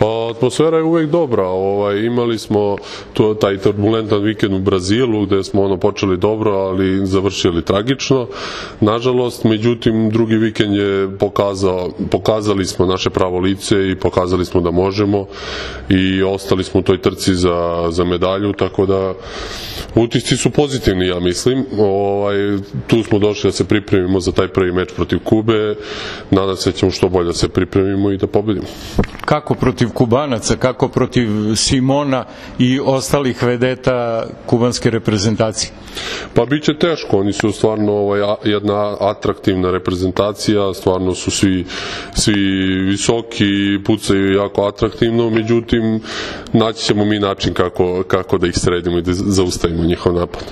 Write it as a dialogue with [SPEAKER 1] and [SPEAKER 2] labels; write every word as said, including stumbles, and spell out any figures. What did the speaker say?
[SPEAKER 1] Pa atmosfera je uvek dobra. Ovaj, imali smo to, taj turbulentan vikend u Brazilu gde smo ono počeli dobro, ali završili tragično. Nažalost, međutim, drugi vikend je pokazao, pokazali smo naše pravo lice i pokazali smo da možemo i ostali smo u toj trci za, za medalju, tako da utisci su pozitivni, ja mislim. Ovaj, tu smo došli da se pripremimo za taj prvi meč protiv Kube. Nadam se da ćemo što bolje da se pripremimo i da pobedimo.
[SPEAKER 2] Kako protiv Kubanaca, kako protiv Simona i ostalih vedeta kubanske reprezentacije?
[SPEAKER 1] Pa bit će teško, oni su stvarno ovaj, jedna atraktivna reprezentacija, stvarno su svi, svi visoki, pucaju jako atraktivno, međutim naći ćemo mi način kako, kako da ih sredimo i da zaustavimo njihov napad.